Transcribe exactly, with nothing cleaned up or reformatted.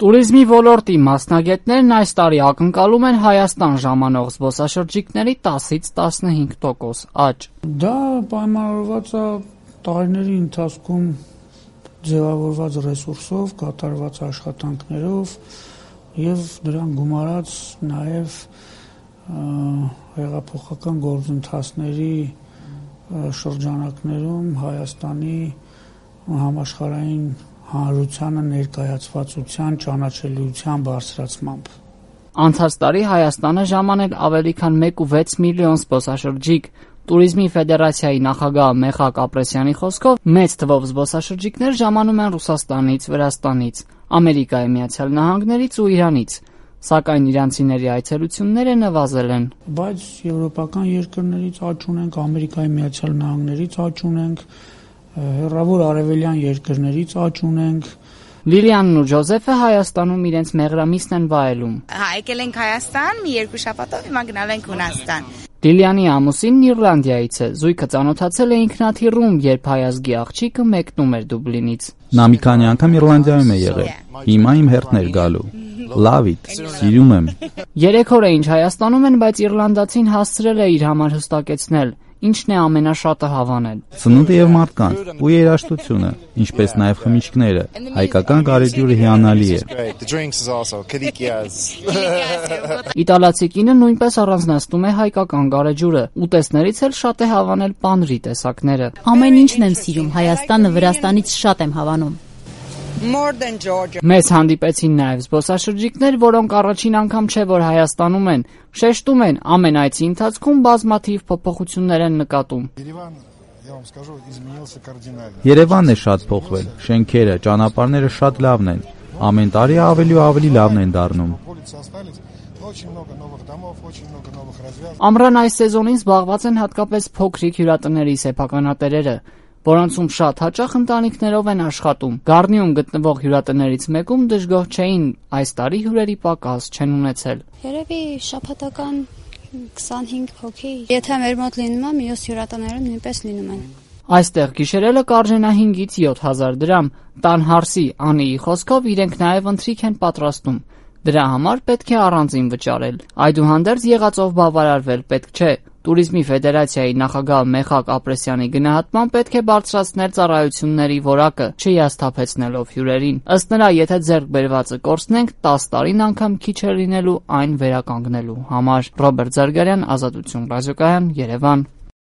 Տուրիզմի ոլորտի մասնագետներն այս տարի ակնկալում են Հայաստան ժամանող զբոսաշրջիկների տասից տասնհինգ տոկոս աճ։ Դա պայմանավորված է տարիների ընթացքում ձևավորված ռեսուրսով, կատարված աշխատանքներով եւ դրան գումարած նաեւ հեղափոխական գործընթացների շրջանակներում Հայաստանի համաշխարհային հանրությանը ներկայացվածության ճանաչելիության բարձրացմամբ։ Անցած տարի Հայաստանը ժամանել ավելի քան մեկ կόμμα վեց միլիոն զբոսաշրջիկ։ Տուրիզմի ֆեդերացիայի նախագահ Մեխակ Ապրեսյանի խոսքով մեծ թվով զբոսաշրջիկներ ժամանում են Ռուսաստանից, Վրաստանից, Ամերիկայի Միացյալ Նահանգներից ու Իրանից, սակայն իրանցիների այցելությունները նվազել են։ Բայց եվրոպական երկրներից աճ ունենք, Ամերիկայի Միացյալ Նահանգներից աճ ունենք, հեռավոր արևելյան երկրներից աճ ունենք։ Լիլիանն ու Ջոզեֆը Հայաստանում իրենց մեղրամիսն են վայելում։ Եկել ենք Հայաստան, մի երկու շաբաթով, հիմա գնալ ենք Հունաստան։ Լիլիանի ամուսինն Իռլանդիայից է, զույգը ծանոթացել է ինքնաթիռում, երբ հայազգի աղջիկը մեկնում էր Դուբլինից։ Նա մի քանի անգամ Իռլանդիայում է եղել։ Հիմա իմ հերթն էր գալու։ Love it, սիրում եմ։ Երեք օր է ինչ Հայաստանում են, բայց իռլանդացին հասցրել է իր համար հստակեցնել, ինչն է ամենաշատը հավանել։ Ծնունդը եւ մարդկանց ու երաժշտությունը, ինչպես նաեւ խմիչքները, հայկական գարեջուրը հիանալի է։ Իտալացի կինը նույնպես առանձնացնում է հայկական գարեջուրը, ուտեստներից էլ շատ է հավանել պանրի տեսակները։ Ամեն ինչն եմ սիրում, Հայաստանը Վրաստանից շատ եմ հավանում։ Մեզ հանդիպեցին նաև զբոսաշրջիկներ, որոնք առաջին անգամ չէ, որ Հայաստանում են, շեշտում են, ամեն այցի ընթացքում բազմաթիվ փոփոխություններ են նկատում։ Երևանն է շատ փոխվել, շենքերը, ճանապարհները շատ լավն են, ամեն տարի ավելի ու ավելի լավն են դառնում։ Ամռան այս սեզոնին զբաղված են հատկապես փոքրիկ հյուրատների սեփականատերերը, որոնցում շատ հաճախ ընտանիքներով են աշխատում։ Գառնիում գտնվող հյուրատներից մեկում դժգոհ չէին, այս տարի հյուրերի պակաս չեն ունեցել։ Երևի շաբաթական քսանհինգ հոգի։ Եթե մեր մոտ լինում է, մյուս հյուրատները նույնպես լինում են։ Այստեղ գիշերելը կարժենա հինգից յոթ հազար դրամ։ Տան հարսի Անիի խոսքով իրենք նաև ընթրիք են պատրաստում։ Դրա համար պետք է առանձին վճարել։ Այդուհանդերձ եղածով բավարարվել պետք չէ։ Տուրիզմի ֆեդերացիայի նախագահ Մեխակ Ապրեսյանի գնահատմամբ պետք է բարձրացնել ծառայությունների որակը, չհիասթափեցնելով հյուրերին։ Ըստ նրա, եթե ձեռք բերվածը կորցնենք, տասը տարին անգամ քիչ է լինելու այն վերականգնելու համար։ Ռոբերտ Զարգարյան, Ազատություն ռադիոկայան, Երևան։